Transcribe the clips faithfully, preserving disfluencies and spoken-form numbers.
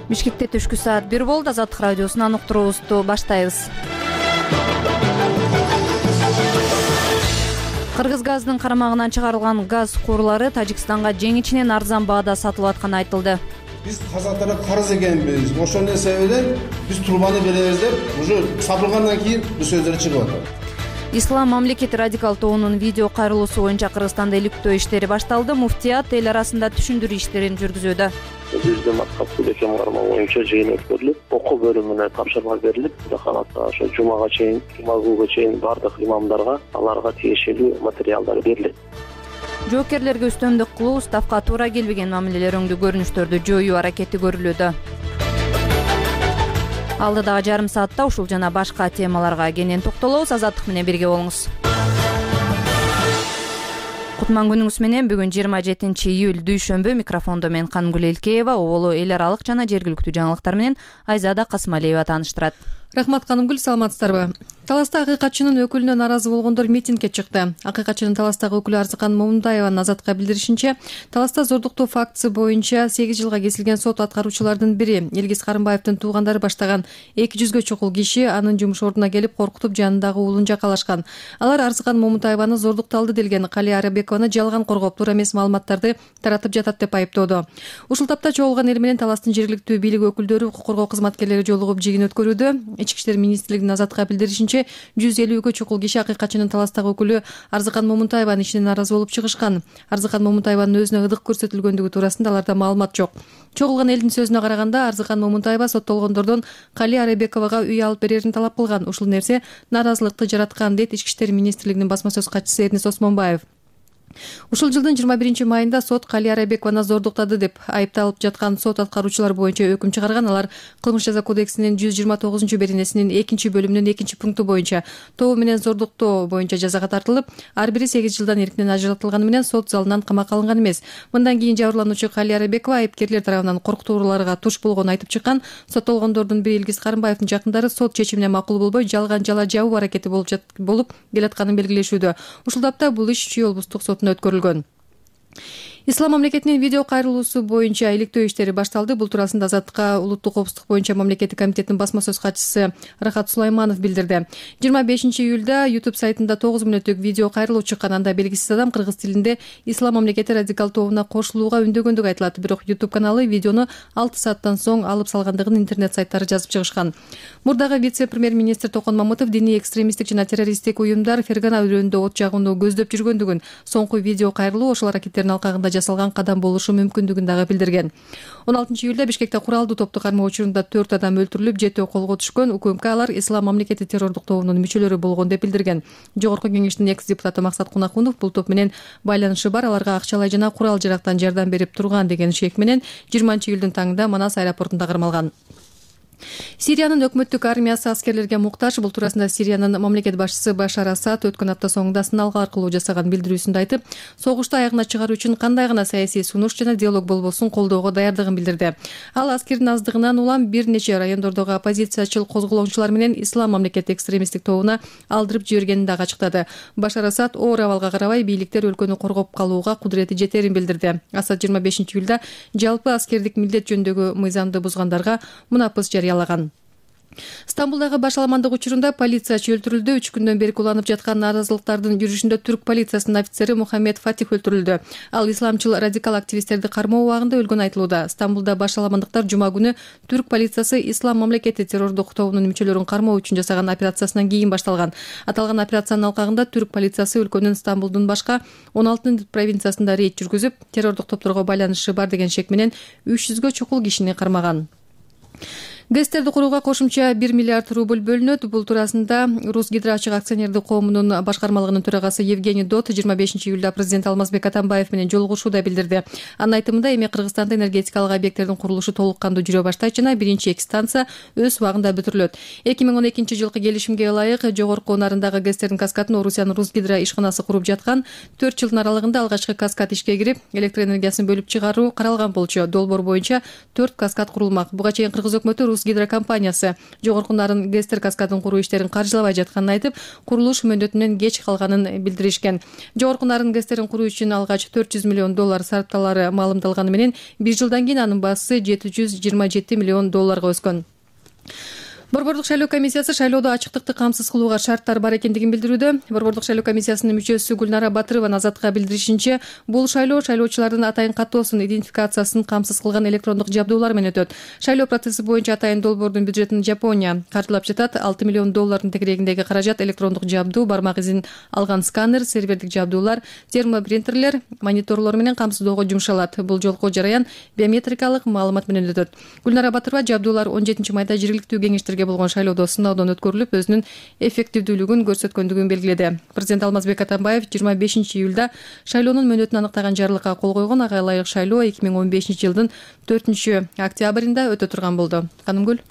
Бишкекте түшкү саат бир болду. Азаттык радиосунан уктуруубузду баштайбыз. Кыргыз газынын карамагынан чыгарылган газ курлары Тажикстанга жеңичинен арзан баада сатылып атканы айтылды. Биз казактарга карыз экенбиз. Ошондой себептен биз трубаны беребиз деп уже сатылгандан кийин бул сөздөр чыгып атат. Ислам мамлекети радикал тобунун видео кайрылуусу боюнча Кыргызстанда иликтөө иштери башталды. Муфтият эл арасында түшүндүрүү иштерин жүргүзүүдө. Бизде мактап бөлөкем карма боюнча жыйын өткөрүлүп, окуу бөлүмүнө тапшырма берилип, кудаханатта ошо жумага чейин, жума күнгө чейин бардык имамдарга аларга тиешелүү материалдар берилет. Жоокерлерге үстөмдүк кылуу, уставка туура келбеген мамилелер өңдүү көрүнүштөрдү жоюу аракети көрүлүүдө. Алдыдагы жарым саатта ушул жана башка темаларга кенен токтолобуз. Азаттык менен бирге болуңуз. Кутман күнүңүз менен. Бүгүн жыйырма жетинчи июль дүйшөмбү. Микрофондо мен Кангүл Элкеева, оболу эл аралык жана жергиликтүү жаңылыктар менен Айзада Касымалиева тааныштырат. Рахмат Канымгүл, саламатсыздарбы? Таласта акыйкатчынын өкүлүнө нааразы болгондор митингге чыкты. Акыйкатчынын Таластагы өкүлү Арзыкан Момунтаеванын Азатка билдиришинче, Таласта зордуктоо фактысы боюнча сегиз жылга кесилген сот аткаруучулардын бири Элгиз Карымбаевдин туугандары баштаган эки жүзгө чукул киши анын жумуш ордуна келип коркутуп жанындагы уулун жакалашкан. Алар Арзыкан Момунтаеваны зордукталды делген Калия Арабекованы жалган коргоп, туура эмес маалыматтарды таратып жатат деп айыптоодо. Ушул тапта чогулган эл менен Таластын жергиликтүү бийлик өкүлдөрү, укук коргоо кызматкерлери жолугуп жыйын өткөрүүдө. Ички иштер министрлигинин Азатка билдиришинче, жүз элүүгө чукул киши акыйкатчынын Таластагы өкүлү Арзыкан Момунтаеванын ишине нааразы болуп чыгышкан. Арзыкан Момунтаеванын өзүнө ырдык көрсөтүлгөндүгү туурасында аларда маалымат жок. Чогулган элдин сөзүнө караганда, Арзыкан Момунтаева соттолгондордон Калия Арабековага үй алып берерин талап кылган. Ушул нерсе нааразылыкты жараткан, дейт Ички иштер министрлигинин басма сөз катчысы Эрнис Осмонбаев. Ушул жылдын жыйырма биринчи майында сот Калия Арабекованы зордуктады деп айыпталып жаткан сот аткаруучулар боюнча өкүм чыгарган. Алар кылмыш жаза кодексинин жүз жыйырма тогузунчу беренесинин экинчи бөлүмүнүн экинчи пункту боюнча тобу менен зордуктоо боюнча жазага тартылып, ар бири сегиз жылдан эркинен ажыратылганы менен сот залынан камакка алынган эмес. Мындан кийин жабырлануучу Калия Арабекова айыпкерлер тарабынан коркутууларга туш болгонун айтып чыккан. Соттолгондордун бири Элгиз Карымбаевдин жакындары сот чечимине макул болбой, жалган жала жабуу аракети болуп болуп келатканын белгилешүүдө. Ушул тапта бул иш Чүй облустук сотуна өткөрүлгөн. Ислам мамлекетинин видео кайрылуусу боюнча иликтөө иштери башталды. Бул туурасында Азаттыкка улуттук коопсуздук боюнча мамлекеттик комитеттин басма сөз катчысы Рахат Сулайманов билдирди. жыйырма бешинчи июлда YouTube сайтында тогуз мүнөттүк видео кайрылуу чыккан. Анда белгисиз адам кыргыз тилинде Ислам мамлекети радикал тобуна кошулууга үндөгөндүгү айтылат. Бирок YouTube каналы видеону алты сааттан соң алып салгандыгын интернет сайттары жазып чыгышкан. Мурдагы вице-премьер-министр Токон Мамытов диний экстремисттик жана террористтик уюмдар Фергана өрөөнүндө от жагууну көздөп жүргөндүгүн, соңку видео кайрылуу ошол аракеттердин алкагында жасалган кадам болушу мүмкүндүгүн дагы билдирген. он алтынчы июлда Бишкекте куралдуу топту кармоо учурунда төрт адам өлтүрүлүп, жетөө колго түшкөн. УКМК алар Ислам мамлекети террордук тобунун мүчөлөрү болгон деп билдирген. Жогорку кеңештин экс-депутаты Максат Кунакунов бул топ менен байланышы бар, аларга акчалай жана курал жарактан жардам берип турган деген шек менен жыйырманчы июлдун таңында Манас аэропортунда кармалган. Сириянын өкмөттүк армиясы аскерлерге муктаж. Бул туурасында Сириянын мамлекет башчысы Башар Асад өткөн апта соңунда сыналгы аркылуу жасаган билдирүүсүндө айтып, согушту аягына чыгаруу үчүн кандай гана саясий сунуш жана диалог болбосун колдоого даярдыгын билдирди. Ал аскердин аздыгынан улам бир нече райондордогу оппозициячыл козголоңчулар менен Ислам мамлекети экстремисттик тобуна алдырып жибергенин дагы ачыктады. Башар Асад оор абалга карабай бийликтер өлкөнү коргоп калууга кудурети жетерин билдирди. Асад жыйырма бешинчи июлда жалпы аскердик милдет жөнүндөгү мыйзамды бузгандарга мунапыс жарыялаган. Стамбулдагы башаламандык учурунда полициячы өлтүрүлдү. Үч күндөн бери уланып жаткан нааразылыктардын жүрүшүндө түрк полициясынын офицери Мухаммед Фатих өлтүрүлдү. Ал исламчыл радикал активисттерди кармоо убагында өлгөн айтылууда. Стамбулда башаламандыктар жума күнү түрк полициясы Ислам мамлекети террордук тобунун мүчөлөрүн кармоо үчүн жасаган операциясынан кийин башталган. Аталган операциянын алкагында түрк полициясы өлкөнүн Стамбулдун башка он алты провинциясында рейд жүргүзүп, террордук топторго байланышы бар деген шек менен үч жүзгө чукул кишини кармаган. ГЭСтерди курууга кошумча бир миллиард рубль бөлүнөт. Бул туурасында Русгидроачык акционердик коомунун башкармалыгынын төрагасы Евгений Дот жыйырма бешинчи июлда президент Алмазбек Атамбаев менен жолугушууда билдирди. Анын айтымында, эми Кыргызстанда энергетикалык объекттердин курулушу толук кандуу жүрө баштайт жана биринчи эки станция өз убагында бүтүрүлөт. эки миң он экинчи жылкы келишимге ылайык жогорку нарындагы ГЭСтердин каскадын Орусиянын Русгидро ишканасы куруп жаткан. төрт жылдын аралыгында алгачкы каскад ишке кирип, электр энергиясын бөлүп чыгаруу каралган болчу. Долбоор боюнча төрт каскад курулмак. Буга чейин Кыргыз өкмөтү рус гидрокомпаниясы жогорку нарын гэстер каскадын куруу иштерин каржылабай жатканын айтып, курулуш мөөнөтүнөн кеч калганын билдиришкен. Жогорку нарын гэстерин куруу үчүн алгач төрт жүз миллион доллар сарпталары маалымдалганы менен бир жылдан кийин анын баасы жети жүз жыйырма жети миллион долларга өскөн. Борбордук шайлоо комиссиясы шайлоодо ачыктыкты камсыз кылууга шарттар бар экендигин билдирүүдө. Борбордук шайлоо комиссиясынын мүчөсү Гүлнара Батырованын Азатка билдиришинче, бул шайлоо шайлоочулардын атайын каттоосун, идентификациясын камсыз кылган электрондук жабдуулар менен өтөт. Шайлоо процесси боюнча атайын долбоордун бюджетин Жапония каржылап жатат. алты миллион доллардын тегерегиндеги каражат электрондук жабдуу, бармак изин алган сканер, сервердик жабдуулар, термопринтерлер, мониторлор менен камсыздоого жумшалат. Бул жолку жараян биометрикалык маалымат менен өтөт. Гүлнара Батырова жабдуулар он жетинчи майда жергиликтүү кеңештерге болгон шайлоодо сыноодон өткөрүлүп, өзүнүн эффективдүүлүгүн көрсөткөндүгүн белгиледи. Президент Алмазбек Атамбаев жыйырма бешинчи июлда шайлоонун мөөнөтүн аныктаган жарлыкка кол койгон. Ага ылайык шайлоо эки миң он бешинчи жылдын төртүнчү октябрында өтө турган болду. Канымгүл.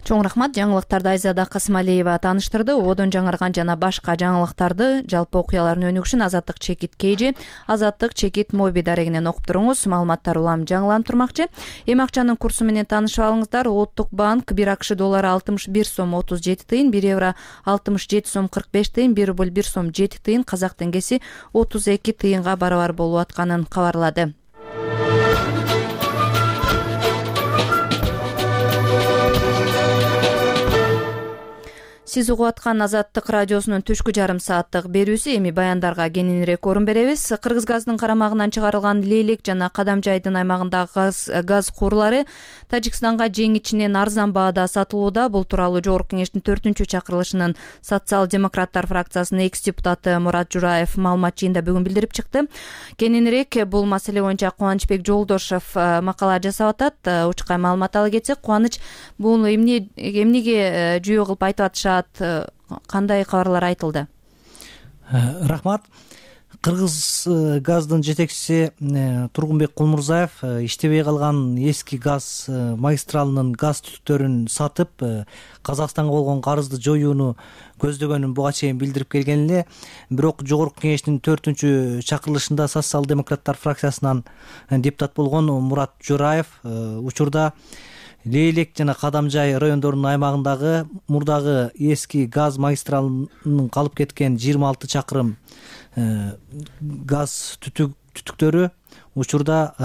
Чоң рахмат. Жаңылыктарды Айзада Касымалиева тааныштырды. Одон жаңырган жана башка жаңылыктарды, жалпы окуялардын өнүгүшүн Азаттык чекит Кейжи, Азаттык чекит Моби дарегинен окуп туруңуз. Маалыматтар улам жаңыланып турмакчы. Эми акчанын курсу менен таанышып алыңыздар. Улуттук банк бир АКШ доллары алтымыш бир сом отуз жети тыйын, бир евро алтымыш жети сом кырк беш тыйын, бир рубль бир сом жети тыйын, казак теңгеси отуз эки тыйынга барабар болуп атканын кабарлады. Сиз угуп аткан Азаттык радиосунун түшкү жарым сааттык берүүсү. Эми баяндарга кененирээк орун беребиз. Кыргыз газдын карамагынан чыгарылган Лейлек жана Кадамжайдын аймагындагы газ газ курлары Тажикстанга жең ичинен арзан баада сатылууда. Бул тууралуу Жогорку кеңештин төртүнчү чакырылышынын социал-демократтар фракциясынын экс депутаты Мурат Жураев маалымат жыйында бүгүн билдирип чыкты. Кененирээк бул маселе боюнча Кубанычбек Жолдошов макала жасап атат. Учкай маалымат ала кетсек, Кубаныч бул эмне эмнеге жүйө кылып айтып атышат? Кандай кабарлар айтылды? Рахмат. Кыргыз газдын жетекчиси Тургунбек Кулмурзаев иштебей калган эски газ магистралынын газ түтүктөрүн сатып Казакстанга болгон карызды жоюуну көздөгөнүн буга чейин билдирип келген эле. Бирок Жогорку кеңештин төртүнчү чакырылышында социал-демократтар фракциясынан депутат болгон Мурат Жураев учурда Лейлек жана Кадамжай райондорунун аймагындагы мурдагы эски газ магистралынын калып кеткен жыйырма алты чакырым газ түтүктөрү учурда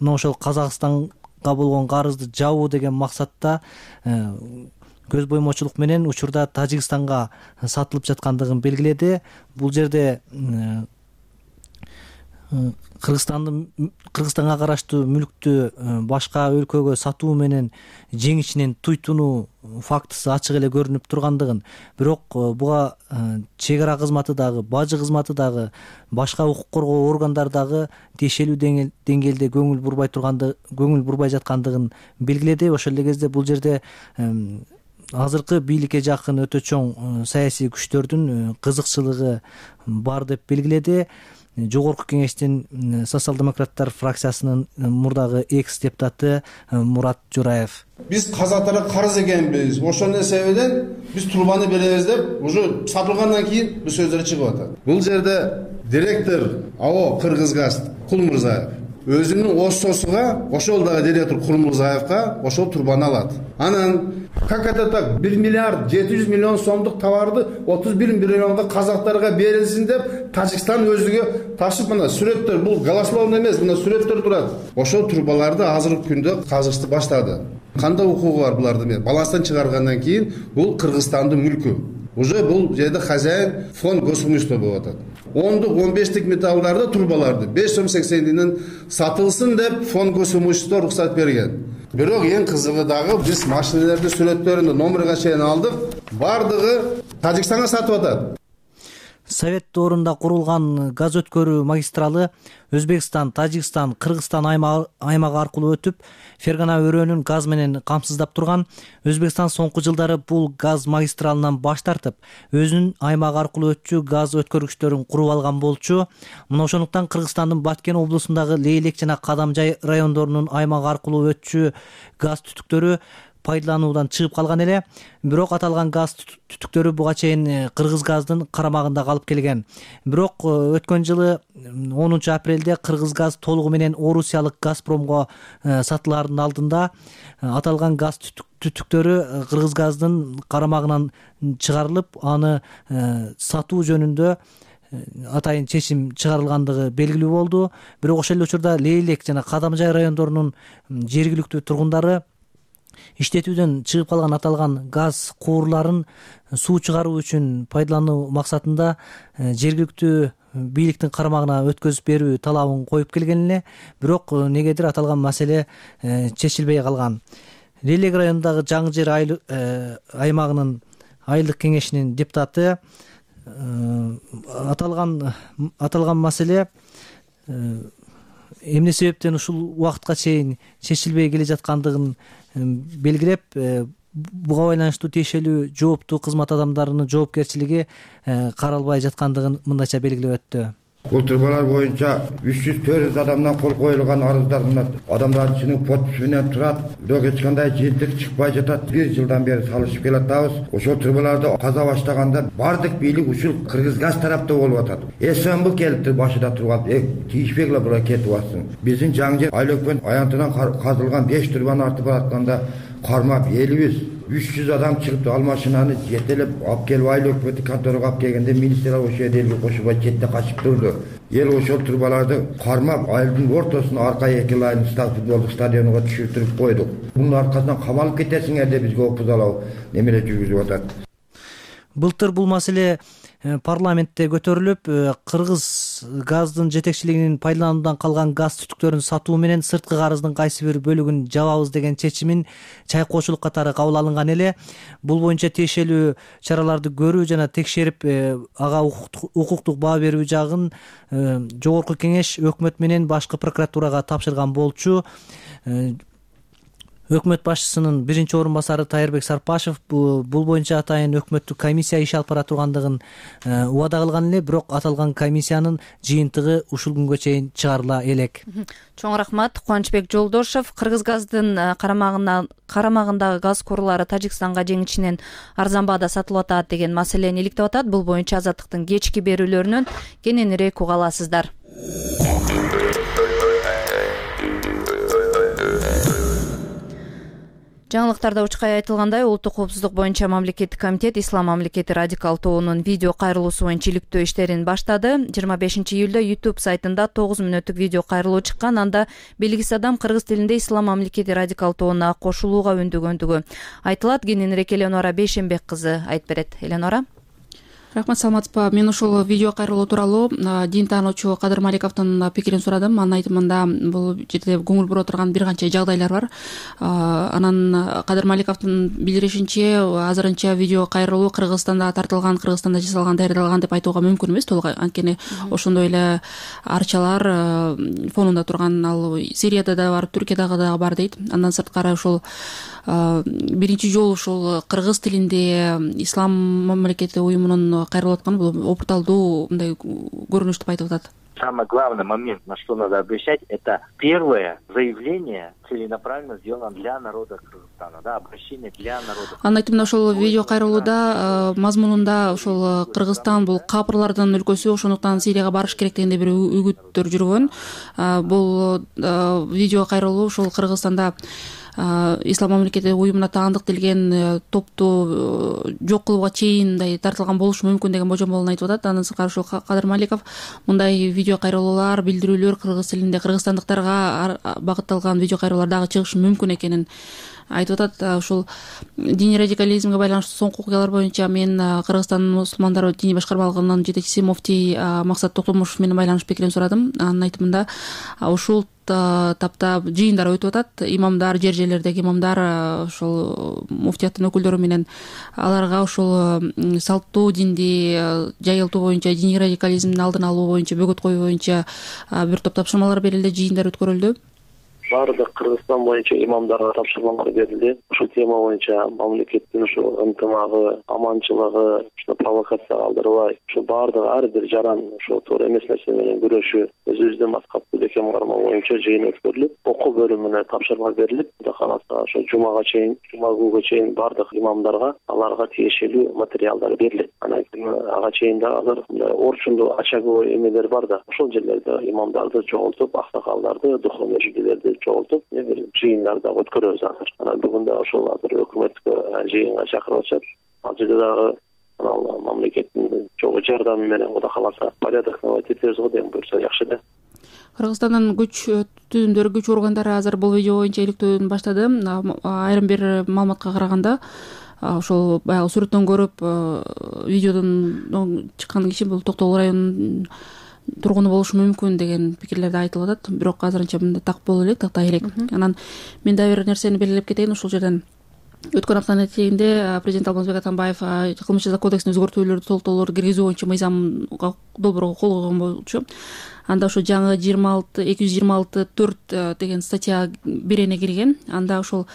мына ошол Казакстанга болгон карызды жабуу деген максатта көз боймочулук менен учурда Тажикстанга сатылып жаткандыгын белгиледи. Бул жерде Кыргызстандын Кыргызстанга караштуу мүлктү башка өлкөгө сатуу менен жең ичинен туйтунуу фактысы ачык эле көрүнүп тургандыгын, бирок буга чек ара кызматы дагы, бажы кызматы дагы, башка укук коргоо органдары дагы тиешелүү деңгээлде көңүл бурбай турганды, көңүл бурбай жаткандыгын белгиледи. Ошол эле кезде бул жерде азыркы бийликке жакын өтө чоң саясий күчтөрдүн кызыкчылыгы бар деп белгиледи. Жогорку кеңештин социал-демократтар фракциясынын мурдагы экс депутаты Мурат Жураев. Биз казактарга карыз экенбиз. Ошондой себептен биз трубаны беребиз деп уже сатылгандан кийин бул сөздөр чыгып атат. Бул жерде директор АО Кыргызгаз Кулмурзаев өзүнүн ососуга, ошол дагы директор Кулмурзаевка ошол трубаны алат. Анан как это так? бир миллиард жети жүз миллион сомдук товарды отуз бир миллионго казактарга берилсин деп Тажикстан өзүгө ташып, мына сүрөттөр, бул голословный эмес, мына сүрөттөр турат. Ошол трубаларды азыркы күндө казышты баштады. Кандай укугу бар буларды? Баланстан чыгаргандан кийин бул Кыргызстандын мүлкү. Уже бул жерде хозяин фонд госимущества болуп атат. ондук он бештик металлдарды, трубаларды беш сом сексен тыйындан сатылсын деп фонд госимущества уруксат берген. Бирок эң кызыгы дагы биз машиналерди сүрөттөрүндө номерге чейин алдык, бардыгы Тажикстанга сатып атат. Совет доорунда курулган газ өткөрүү магистралы Өзбекстан, Тажикстан, Кыргызстан аймагы аркылуу өтүп, Фергана өрөөнүн газ менен камсыздап турган. Өзбекстан соңку жылдары бул газ магистралынан баш тартып, өзүнүн аймагы аркылуу өтчү газ өткөргүчтөрүн куруп алган болчу. Мына ошондуктан Кыргызстандын Баткен облусундагы Лейлек жана Кадамжай райондорунун аймагы аркылуу өтчү газ түтүктөрү пайдалануудан чыгып калган эле, бирок аталган газ түтүктөрү буга чейин Кыргыз газдын карамагында калып келген. Бирок өткөн жылы онунчу апрелде Кыргыз газ толугу менен орусиялык Газпромго сатылаардын алдында аталган газ түтүктөрү Кыргыз газдын карамагынан чыгарылып, аны сатуу жөнүндө атайын чечим чыгарылгандыгы белгилүү болду. Бирок ошол эле учурда Лейлек жана Кадамжай райондорунун жергиликтүү тургундары иштетүүдөн чыгып калган аталган газ куурларын суу чыгаруу үчүн пайдалануу максатында жергиликтүү бийликтин карамагына өткөзүп берүү талабын коюп келген эле. Бирок негедир аталган маселе чечилбей калган. Лейлек районундагы Жаңы Жер аймагынын айылдык кеңешинин депутаты аталган аталган маселе эмне себептен ушул убакытка чейин чечилбей келе жаткандыгын белгилеп, буга байланыштуу тиешелүү жооптуу кызмат адамдарынын жоопкерчилиги каралбай жаткандыгын мындайча белгилеп өттү. Бул турбалар боюнча үч жүз төрт жүз адамдан кол коюлган арыздар адамдардын ичинин подписи менен турат. Бирок эч кандай жыйынтык чыкпай жатат. Бир жылдан бери салышып келатабыз. Ошол турбаларды каза баштаганда бардык бийлик ушул Кыргыз газ тарапта болуп атат. СМБ келип башында турган, тийишпей эле буга кетип атсын. Биздин Жаңы Жер айлөкпөн аянтынан казылган беш турбаны артып баратканда кармап элибиз үч жүз адам чыгып ал машинаны жетелеп алып келип айлөкмөттү конторага алып келгенде министрлер ошол жерде элге кошулбай четте качып турду. Эл ошол турбаларды кармап айылдын ортосуна арка эки лайн футболдук стадионуга түшүртүрүп койдук. Мунун аркасынан камалып кетесиңер деп бизге опузалоо немеле жүргүзүп атат. Былтыр бул маселе парламентте көтөрүлүп, Кыргыз газдын жетекчилигинин пайдалануудан калган газ түтүктөрүн сатуу менен сырткы карыздын кайсы бир бөлүгүн жабабыз деген чечимин чайкоочулук катары кабыл алынган эле. Бул боюнча тиешелүү чараларды көрүү жана текшерип, ага укуктук баа берүү жагын Жогорку Кеңеш өкмөт менен башкы прокуратурага тапшырган болчу. Өкмөт башчысынын биринчи орун басары Тайырбек Сарпашев бул боюнча атайын өкмөттүк комиссия иш алып бара тургандыгын убада кылган эле, бирок аталган комиссиянын жыйынтыгы ушул күнгө чейин чыгарыла элек. Чоң рахмат. Кубанычбек Жолдошов. Кыргыз газдын карамагына карамагындагы газ курлары Тажикстанга жеңичинен арзан баада сатылып атат деген маселени иликтеп атат. Бул боюнча Азаттыктын кечки берүүлөрүнөн кененирээк уга аласыздар. Жаңылыктарда учкай айтылгандай, улуттук коопсуздук боюнча мамлекеттик комитет Ислам мамлекети радикал тобунун видео кайрылуусу боюнча иликтөө иштерин баштады. жыйырма бешинчи июлда YouTube сайтында тогуз мүнөттүк видео кайрылуу чыккан. Анда белгисиз адам кыргыз тилинде Ислам мамлекети радикал тобуна кошулууга үндөгөндүгү айтылат. Кененирээк Эленора Бейшенбек кызы айтып берет. Эленора. Рахмат, саламатсызбы? Мен ушул видео кайрылуу тууралуу дин таануучу Кадыр Маликовдун пикирин сурадым. Анын айтымында бул жерде көңүл бура турган бир канча жагдайлар бар. Анан Кадыр Маликовдун билдиришинче, азырынча видео кайрылуу Кыргызстанда тартылган, Кыргызстанда жасалган, даярдалган деп айтууга мүмкүн эмес толук. Анткени ошондой эле арчалар фонунда турган, ал Сирияда да бар, Түркиядагы да бар дейт. Андан сырткары ушул биринчи жолу ушул кыргыз тилинде Ислам мамлекети уюмунун кайрылып атканы бул опурталдуу мындай көрүнүш деп айтып атат. Самый главный момент, на что надо обращать, это первое заявление целенаправленно сделано для народа Кыргызстана, да, обращение для народа. Анын айтымында ошол видео кайрылууда мазмунунда ошол Кыргызстан бул капырлардын өлкөсү, ошондуктан Сирияга барыш керек дегенде бир үгүттөр жүргөн. Бул видео кайрылуу ошол Кыргызстанда Ислам мамлекети уюмуна таандык делген топту жок кылууга чейин мындай тартылган болушу мүмкүн деген божомолун айтып атат. Андан сырткары ушул Кадыр Маликов мындай видео кайрылуулар, билдирүүлөр кыргыз тилинде кыргызстандыктарга багытталган видео кайрылуулар дагы чыгышы мүмкүн экенин айтып атат. Ушул диний радикализмге байланыштуу соңку окуялар боюнча мен Кыргызстандын мусулмандары диний башкармалыгынын жетекчиси муфтий Максат Токтомушев менен байланыш пикирин сурадым. Анын айтымында ушул тапта жыйындар өтүп атат. Имамдар, жер жерлердеги имамдар ошол муфтияттын өкүлдөрү менен аларга ошол салттуу динди жайылтуу боюнча, диний радикализмдин алдын алуу боюнча, бөгөт коюу боюнча бир топ тапшырмалар берилди, жыйындар өткөрүлдү. баардык Кыргызстан боюнча имамдарга тапшырмалар берилди. Ушул тема боюнча мамлекеттин ушул ынтымагы, аманчылыгы, ушул провокация калтырбай, ушул баардык ар бир жаран ушул туура эмес нерсе менен күрөшүү, өзүбүздүн маскап бекем кармоо боюнча жыйын өткөрүлүп, окуу бөлүмүнө тапшырма берилип, Кудай кааласа ошо жумага чейин, жума күнгө чейин баардык имамдарга аларга тиешелүү материалдар берилет. Анан ага чейин да азыр орчундуу очаговой эмелер бар да, ошол жерлерде имамдарды чогултуп, аксакалдарды, духовный жигилерди чогултуп, бир жыйындар да өткөрөбүз азыр. Анан бүгүн да ошол азыр өкмөткө жыйынга чакырып атышат. Ал жерде дагы анан мамлекеттин чогуу жардамы менен Кудай кааласа порядок наводить этебиз го деген буюрса жакшы да. Кыргызстандын күч түзүмдөрү, күч органдары азыр бул видео боюнча иликтөөдү баштады. Айрым бир маалыматка караганда, ошол баягы сүрөттөн көрүп видеодон чыккан киши бул Токтогул районунун тургуну болушу мүмкүн деген пикирлерди айтылып атат. Бирок азырынча мындай так боло элек, тактай элек. Анан мен дагы бир нерсени белгилеп кетейин. Ушул жерден өткөн аптанын этегинде президент Алмазбек Атамбаев кылмыш жаза кодексине өзгөртүүлөрдү, толуктоолорду киргизүү боюнча мыйзамга долбоорго кол койгон болчу. Анда ошо жаңы жыйырма алты эки жүз жыйырма алты төрт деген статья бирене кирген. Анда ошол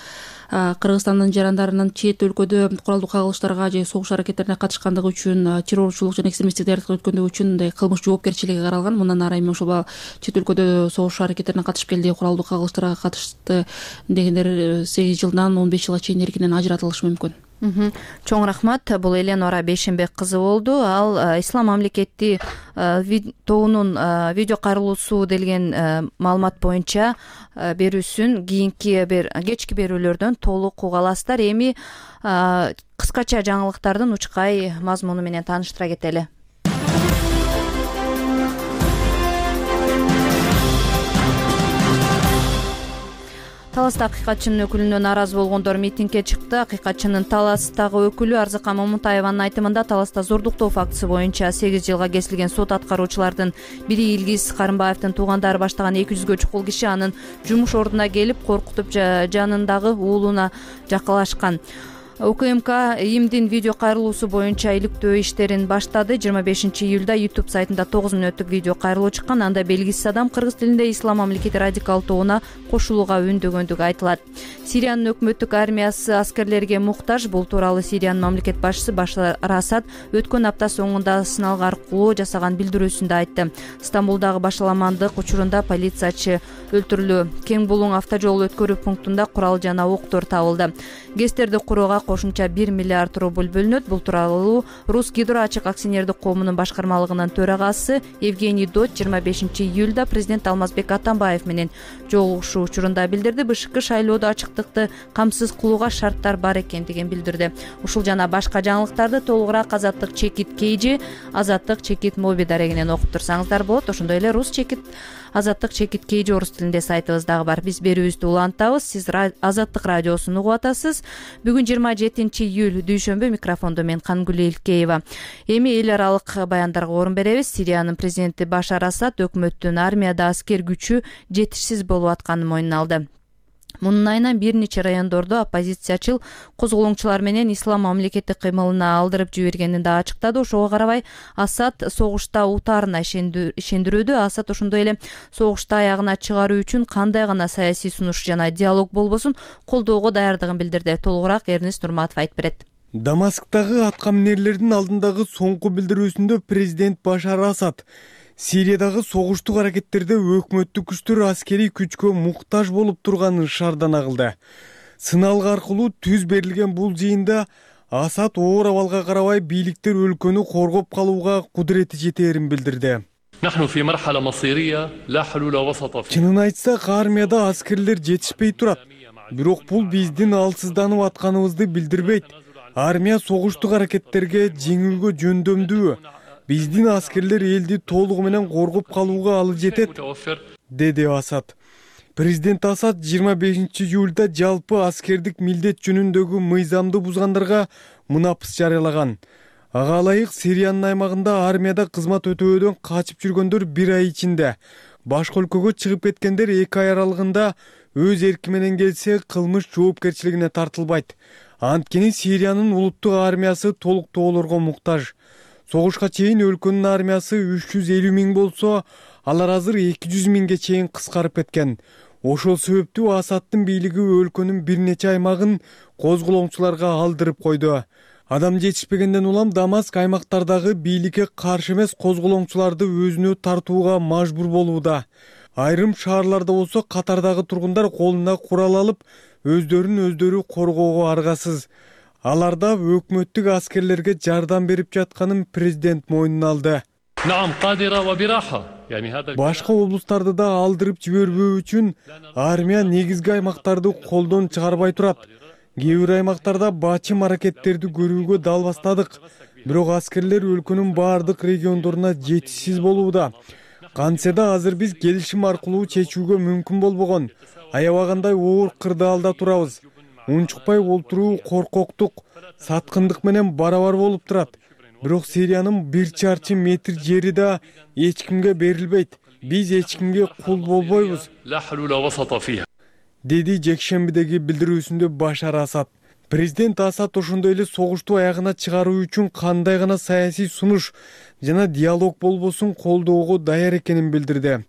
Кыргызстандын жарандарынын чет өлкөдө куралдуу кагылыштарга же согуш аракеттерине катышкандыгы үчүн, террорчулук жана экстремисттик даярдык өткөндүгү үчүн мындай кылмыш жоопкерчилиги каралган. Мындан ары эми ошол чет өлкөдө согуш аракеттерине катышып келди, куралдуу кагылыштарга катышты дегендер сегиз жылдан он беш жылга чейин эркинен ажыратылышы мүмкүн. Чоң рахмат. Бул Эленора Бейшенбек кызы болду. Ал Ислам мамлекети тобунун видео кайрылуусу делген маалымат боюнча берүүсүн кийинки бир кечки берүүлөрдөн толук уга аласыздар. Эми кыскача жаңылыктардын учкай мазмуну менен тааныштыра кетели. Таласта акыйкатчынын өкүлүнө нааразы болгондор митингге чыкты. Акыйкатчынын Таластагы өкүлү Арзыкан Момунтаеванын айтымында Таласта зордуктоо фактысы боюнча сегиз жылга кесилген сот аткаруучулардын бири Илгиз Карымбаевдин туугандары баштаган эки жүзгө чукул киши анын жумуш ордуна келип, коркутуп жанындагы уулуна жакалашкан. УКМК ИИМдин видео кайрылуусу боюнча иликтөө иштерин баштады. жыйырма бешинчи июлда YouTube сайтында тогуз мүнөттүк видео кайрылуу чыккан. Анда белгисиз адам кыргыз тилинде Ислам мамлекети радикал тобуна кошулууга үндөгөндүгү айтылат. Сириянын өкмөттүк армиясы аскерлерге муктаж. Бул тууралуу Сириянын мамлекет башчысы Башар Асад өткөн апта соңунда сыналгы аркылуу жасаган билдирүүсүндө айтты. Стамбулдагы башаламандык учурунда полициячы өлтүрүлдү. Кең булуң автожол өткөрүү пунктунда курал жана октор табылды. ГЭСтерди курууга кошумча бир миллиард рубль бөлүнөт. Бул тууралуу Рус Гидро ачык акционердик коомунун башкармалыгынын төрагасы Евгений Дот жыйырма бешинчи июлда президент Алмазбек Атамбаев менен жолугушуу учурунда билдирди. БШК шайлоодо ачыктыкты камсыз кылууга шарттар бар экендигин билдирди. Ушул жана башка жаңылыктарды толугураак Азаттык Чекит Кейжи, Азаттык Чекит Моби дарегинен окуп турсаңыздар болот. Ошондой эле Рус Чекит Азаттык Чекит Кейжи орус тилинде сайтыбыз дагы бар. Биз берүүбүздү улантабыз. Сиз Азаттык радиосун угуп атасыз. Бүгүн жыйырма жетинчи июль дүйшөмбү, микрофондо мен Кангүл Элкеева. Эми эл аралык баяндарга орун беребиз. Сириянын президенти Башар Асад өкмөттүн армияда аскер күчү жетишсиз болуп атканын мойнуна алды. Мунун айынан бир нече райондордо оппозициячыл козголоңчулар менен Ислам мамлекети кыймылына алдырып жибергенин да ачыктады. Ошого карабай Асад согушта утаарына ишендирүүдө. Асад ошондой эле согушта аягына чыгаруу үчүн кандай гана саясий сунуш жана диалог болбосун колдоого даярдыгын билдирди. Толугураак Эрнест Нурматов айтып берет. Дамасктагы атка минерлердин алдындагы соңку билдирүүсүндө президент Башар Асад Сириядагы согуштук аракеттерде өкмөттүк күчтөр аскерий күчкө муктаж болуп турганын шардана кылды. Сыналгы аркылуу түз берилген бул жыйында Асад оор абалга карабай бийликтер өлкөнү коргоп калууга кудурети жетээрин билдирди. Чынын айтсак, армияда аскерлер жетишпей турат. Бирок бул биздин алсызданып атканыбызды билдирбейт. Армия согуштук аракеттерге жеңүүгө жөндөмдүү. Биздин аскерлер элди толугу менен коргоп калууга алы жетет, деди Асад. Президент Асад жыйырма бешинчи июлда жалпы аскердик милдет жөнүндөгү мыйзамды бузгандарга мунапыс жарыялаган. Ага ылайык Сириянын аймагында армияда кызмат өтөөдөн качып жүргөндөр бир ай ичинде, башка өлкөгө чыгып кеткендер эки ай аралыгында өз эрки менен келсе кылмыш жоопкерчилигине тартылбайт. Анткени Сириянын улуттук армиясы толуктоолорго муктаж. Согушка чейин өлкөнүн армиясы үч жүз элүү миң болсо, алар азыр эки жүз миңге чейин кыскарып кеткен. Ошол себептүү Асадтын бийлиги өлкөнүн бир нече аймагын козголоңчуларга алдырып койду. Адам жетишпегенден улам Дамаск аймактардагы бийликке каршы эмес козголоңчуларды өзүнө тартууга мажбур болууда. Айрым шаарларда болсо катардагы тургундар колуна курал алып, өздөрүн өздөрү коргоого аргасыз. Аларда өкмөттүк аскерлерге жардам берип жатканын президент мойнуна алды. Башка облустарды да алдырып жибербөө үчүн армия негизги аймактарды колдон чыгарбай турат. Кээ бир аймактарда бачым аракеттерди көрүүгө дал бастадык. Бирок аскерлер өлкөнүн баардык региондоруна жетишсиз болууда. Кантсе да азыр биз келишим аркылуу чечүүгө мүмкүн болбогон. Аябагандай оор кырдаалда турабыз. Унчукпай олтуруу коркоктук, саткындык менен барабар болуп турат. Бирок Сириянын бир чарчы метр жери да эч кимге берилбейт. Биз эч кимге кул болбойбуз, деди жекшембидеги билдирүүсүндө Башар Асад. Президент Асад ошондой эле согушту аягына чыгаруу үчүн кандай гана саясий сунуш жана диалог болбосун колдоого даяр экенин билдирди.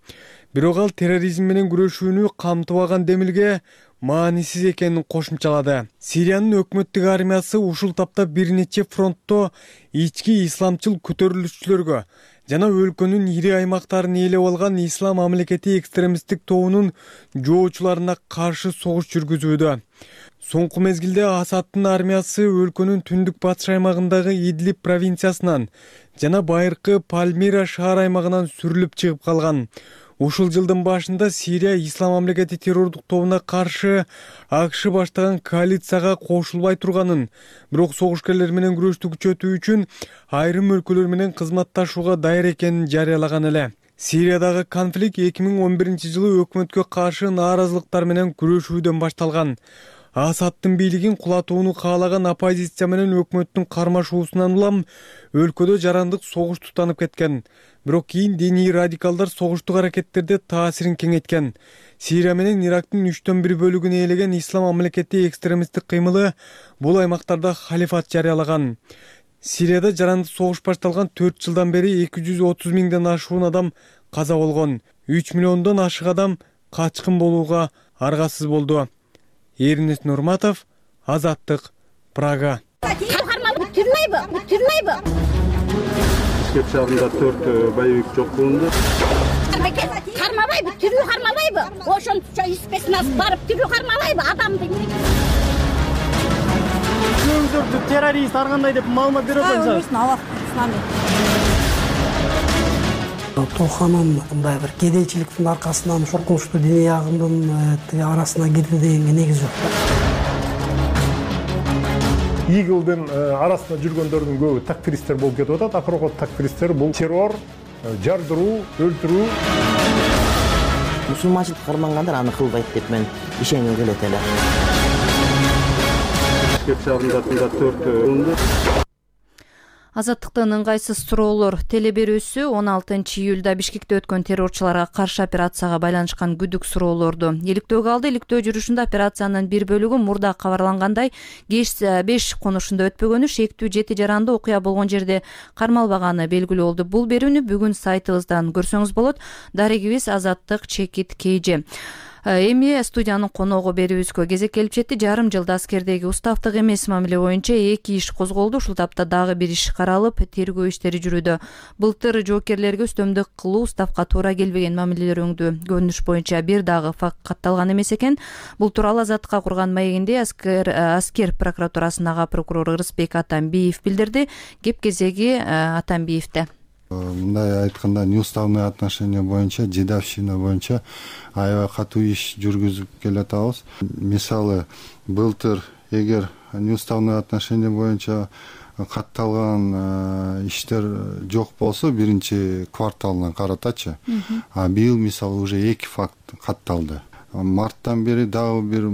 Бирок ал терроризм менен күрөшүүнү камтыбаган демилге маанисиз экенин кошумчалады. Сириянын өкмөттүк армиясы ушул тапта бир нече фронтто ички исламчыл көтөрүлүшчүлөргө жана өлкөнүн ири аймактарын ээлеп алган Ислам мамлекети экстремисттик тобунун жоочуларына каршы согуш жүргүзүүдө. Соңку мезгилде Асадтын армиясы өлкөнүн түндүк батыш аймагындагы Идлиб провинциясынан жана байыркы Пальмира шаар аймагынан сүрүлүп чыгып калган. Ушул жылдын башында Сирия Ислам мамлекети террордук тобуна каршы АКШ баштаган коалицияга кошулбай турганын, бирок согушкерлер менен күрөштү күчөтүү үчүн айрым өлкөлөр менен кызматташууга даяр экенин жарыялаган эле. Сириядагы конфликт эки миң он биринчи жылы өкмөткө каршы нааразылыктар менен күрөшүүдөн башталган. Асадтын бийлигин кулатууну каалаган оппозиция менен өкмөттүн кармашуусунан улам өлкөдө жарандык согуш тутанып кеткен. Бирок кийин диний радикалдар согуштук аракеттерде таасирин кеңейткен. Сирия менен Ирактын үчтөн бир бөлүгүн ээлеген Ислам мамлекети экстремисттик кыймылы бул аймактарда халифат жарыялаган. Сирияда жарандык согуш башталган төрт жылдан бери эки жүз отуз миңден ашуун адам каза болгон. үч миллиондон ашык адам качкын болууга аргасыз болду. Эринес Нурматов, Азаттык, Прага. Бүтүрмөйбү, бүтүрмөйбү. Бишкек шаарында төрт боевик жок кылынды. Кармабайбы, тирүү кармабайбы? Ошончо испесин алып барып тирүү кармабайбы адамды? Көңүлдөрдү террорист ар кандай деп маалымат берип атасызбы? Толханын мындай бир кедейчиликтин аркасынан ушул кылмыштуу диний агымдын арасына кирди дегенге негиз жок. Игилдин арасында жүргөндөрдүн көбү такфиристер болуп кетип атат. Акыркы такфиристер бул террор, жардыруу, өлтүрүү. Мусулманчылыкка кармангандар аны кылбайт деп мен ишенгим келет эле. Бишкек шаарында төрт кылынды. Азаттыктын ыңгайсыз суроолор телеберүүсү он алтынчы июлда Бишкекте өткөн террорчуларга каршы операцияга байланышкан күдүк суроолорду иликтөөгө алды. Иликтөө жүрүшүндө операциянын бир бөлүгү мурда кабарлангандай кеш беш конушунда өтпөгөнү, шектүү жети жаранды окуя болгон жерде кармалбаганы белгилүү болду. Бул берүүнү бүгүн сайтыбыздан көрсөңүз болот. Дарегибиз Азаттык Чекит Кейже. Эми студиянын коногу берүүбүзгө кезек келип жетти. Жарым жылда аскердеги уставдык эмес мамиле боюнча эки иш козголду. Ушул тапта дагы бир иш каралып, тергөө иштери жүрүүдө. Былтыр жоокерлерге үстөмдүк кылуу уставга туура келбеген мамилелерөңдү көрүнүш боюнча бир дагы факт катталган эмес экен. Бул тууралуу Азаттыкка курган маегинде аскер аскер прокуратурасынын ага прокурору Ырысбек Атамбиев билдирди. Кеп кезеги Атамбиевде. Мындай айтканда, неуставный отношение боюнча, дедовщина боюнча аябай катуу иш жүргүзүп келатабыз. Мисалы, былтыр эгер неуставный отношение боюнча катталган иштер жок болсо, биринчи кварталына каратачы. А быйыл мисалы уже эки факт катталды. Марттан бери дагы бир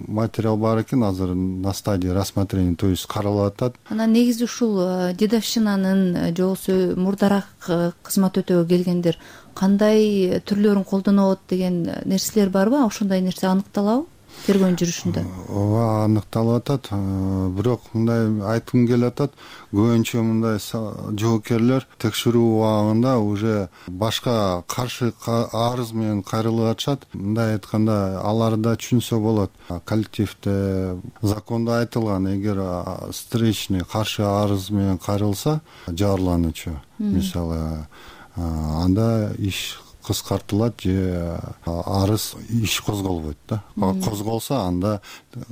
материал бар экен, азыр на стадии рассмотрения, то есть каралып атат. Анан негизи ушул дедовщинанын же болбосо мурдараак кызмат өтөөгө келгендер кандай түрлөрүн колдонот деген нерселер барбы? Ошондой нерсе аныкталабы? тергөөнүн жүрүшүндө? ооба, аныкталып атат. Бирок мындай айткым келип атат, көбүнчө мындай жоокерлер текшерүү убагында уже башка каршы арыз менен кайрылып атышат. Мындай айтканда, алар да түшүнсө болот. Коллективде закондо айтылган, эгер встречный каршы арыз менен кайрылса жабырлануучу, мисалы, анда иш кыскартылат же арыз иш козголбойт да. Козголсо анда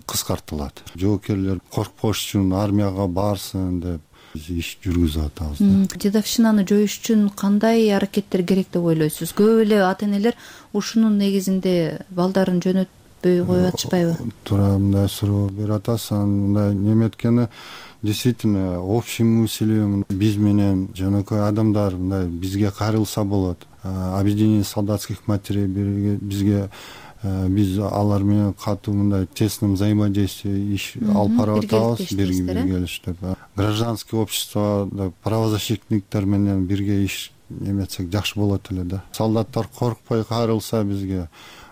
кыскартылат. Жоокерлер коркпош үчүн армияга барсын деп иш жүргүзүп атабыз да. Дедовщинаны жоюш үчүн кандай аракеттер керек деп ойлойсуз? Көп эле ата энелер ушунун негизинде балдарын жөнөтпөй коюп атышпайбы? Туура мындай суроо берип атасың. Мындай неметкени действительно общий мысль биз менен жөнөкөй адамдар мындай бизге кайрылса болот. Объединение солдатских матерей бизге биз алар менен катуу мындай тесном взаимодействие иш алып барып атабыз, биргелиштеп. Гражданский общество, правозащитниктер менен бирге иш эметсек жакшы болот эле да. Солдаттар коркпой кайрылса бизге,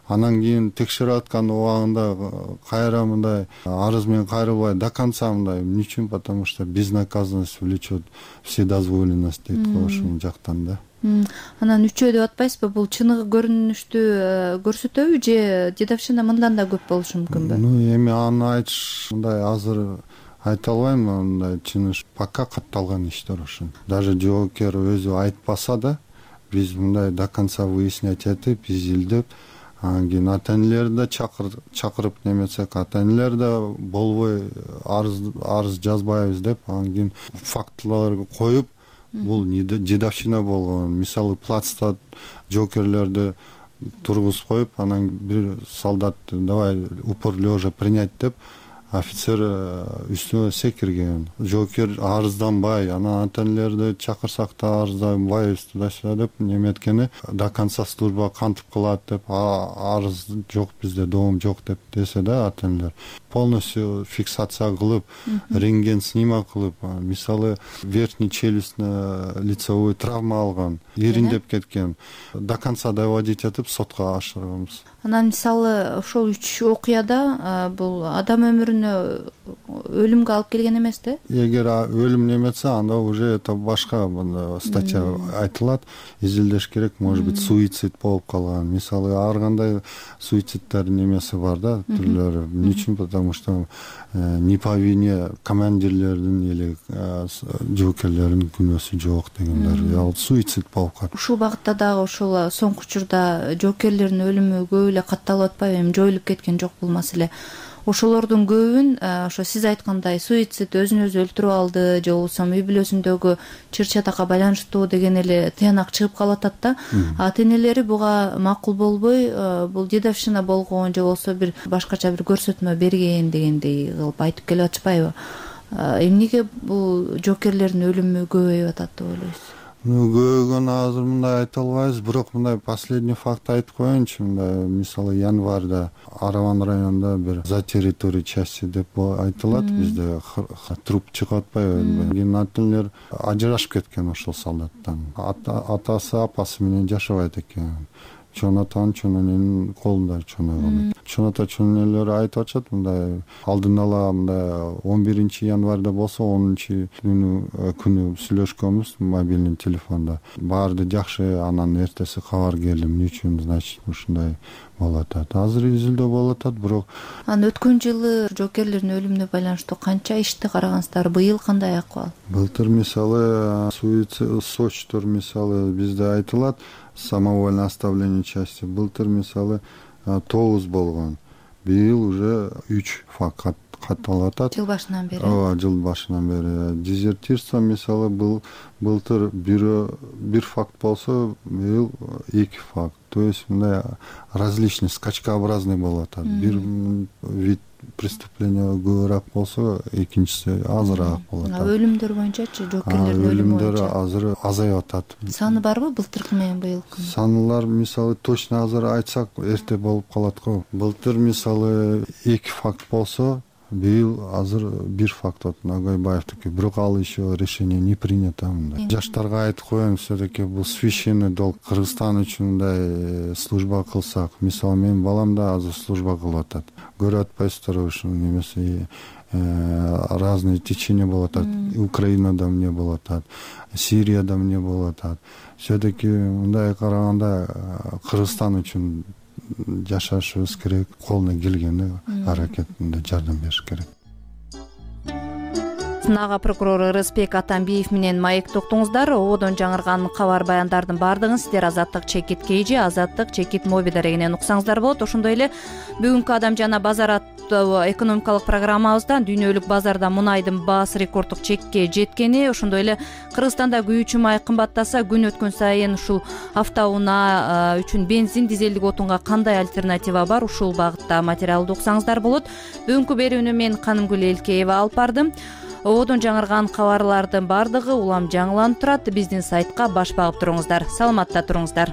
анан кийин текшерип аткан убагында кайра мындай арыз менен кайрылбай до конца мындай эмне үчүн? Потому что безнаказанность влечет вседозволенность дейт го ушул жактан да. Анан үчөө деп атпайсызбы? Бул чыныгы көрүнүштү көрсөтөбү же дедовщина мындан да көп болушу мүмкүнбү? Ну, эми аны айтыш мындай азыр айта албайм. Мындай чыныгы пока катталган иштер ушул. Даже жоокер өзү айтпаса да, биз мындай до конца выяснять этип, изилдеп, анан кийин ата энелерди чакырып неметсек, ата энелер да болбой арыз арыз жазбайбыз деп, анан кийин фактыларды коюп, бул дедовщина болгон. Мисалы, плацта жоокерлерди тургузуп коюп, анан бир солдат давай упор лежа принять деп, офицер үстүнө секирген. Жоокер арызданбай, анан ата энелерди чакырсак да арызданбайбыз туда-сюда деп неметкени до конца служба кантип кылат деп, арыз жок бизде, доом жок деп десе да ата энелер полностью фиксация кылып, рентген снимок кылып, мисалы, верхний челюстный лицевой травма алган, ириндеп кеткен, до конца доводить этип сотко ашырганбыз. Анан мисалы ошол үч окуяда бул адам өмүрүнө өлүмгө алып келген эмес да? Эгер өлүм неметсе, анда уже это башка статья айтылат, изилдеш керек, может быть, суицид болуп калган. Мисалы, ар кандай суициддер немеси бар да, түрлөрү. Эмне үчүн? Потому что не по вине командирлердин или жоокерлердин күнөөсү жок дегендер. Суицид болуп калат. Ушул багытта дагы ошол соңку учурда жоокерлердин өлүмү көп эле катталып атпайбы? Эми жоюлуп кеткен жок бул маселе. Ошолордун көбүн ошо сиз айткандай суицид, өзүн өзү өлтүрүп алды же болбосо үй бүлөсүндөгү чыр чатакка байланыштуу деген эле тыянак чыгып калып атат да. Ата энелери буга макул болбой, бул дедовщина болгон же болбосо бир башкача бир көрсөтмө берген дегендей кылып айтып келип атышпайбы? Эмнеге бул жоокерлердин өлүмү көбөйүп атат деп ойлойсуз? Көбөйгөн азыр мындай айта албайбыз, бирок мындай последний факт айтып коеюнчу. Мындай мисалы январда Араван районунда бир за территорией части деп айтылат, бизде труп чыгып атпайбы? Кийин ата энелер ажырашып кеткен ошол солдаттан. Атасы апасы менен жашабайт экен. Чоң атанын чоң эненин колунда чоңойгон. Чоң ата чоң энелер айтып атышат, мындай алдын ала мындай он биринчи январда болсо онунчу күнү сүйлөшкөнбүз мобильный телефондо. Баарды жакшы, анан эртеси кабар келди. Эмне үчүн, значит, ушундай болуп атат. Азыр изилдөө болуп атат, бирок анан өткөн жылы жоокерлердин өлүмүнө байланыштуу канча ишти карагансыздар? Быйыл кандай акыбал? Былтыр мисалы суицид сочтор мисалы бизде айтылат, самовольное оставление части. Былтыр мисалы тогуз болгон. Быйыл уже үч факт катталып атат. Жыл башынан бери. Ооба, жыл башынан бери. Дезертирство мисалы был былтыр бир факт болсо, быйыл эки факт. То есть мындай различный, скачкообразный болуп атат. Бир вид преступления көбүрөөк болсо, экинчиси азыраак болуп атат. Өлүмдөр боюнчачы, жоокерлердин өлүмү боюнча? Өлүмдөр азыр азайып атат. Саны барбы былтыркы менен быйылкы? Санылар мисалы точно азыр айтсак эрте болуп калат го. Былтыр мисалы эки факт болсо, быйыл азыр бир факт от Нагайбаевдики, бирок ал еще решение не принято мындай. Жаштарга айтып коеюн, все-таки бул священный долг. Кыргызстан үчүн мындай служба кылсак, мисалы менин балам да азыр служба кылып атат. көрүп атпайсыздарбы ушул немеси разные течения болуп атат. Украинада эмне болуп атат, Сирияда эмне болуп атат. Все таки мындай караганда Кыргызстан үчүн жашашыбыз керек, колуна келгенде аракетинде жардам бериш керек. Нага прокурор Ырысбек Атамбиев менен маек токтоңуздар. Ободон жаңырган кабар баяндардын баардыгын сиздер Азаттык чекит кейжи, Азаттык чекит моби дарегинен уксаңыздар болот. Ошондой эле бүгүнкү Адам жана базар аттуу экономикалык программабыздан дүйнөлүк базарда мунайдын баасы рекорддук чекке жеткени, ошондой эле Кыргызстанда күйүүчү май кымбаттаса, күн өткөн сайын ушул автоунаа үчүн бензин, дизелдик отунга кандай альтернатива бар, ушул багытта материалды уксаңыздар болот. Бүгүнкү берүүнү мен Канымгүл Элкеева алып бардым. Ободон жаңырган кабарлардын баардыгы улам жаңыланып турат. Биздин сайтка баш багып туруңуздар. Саламатта туруңуздар.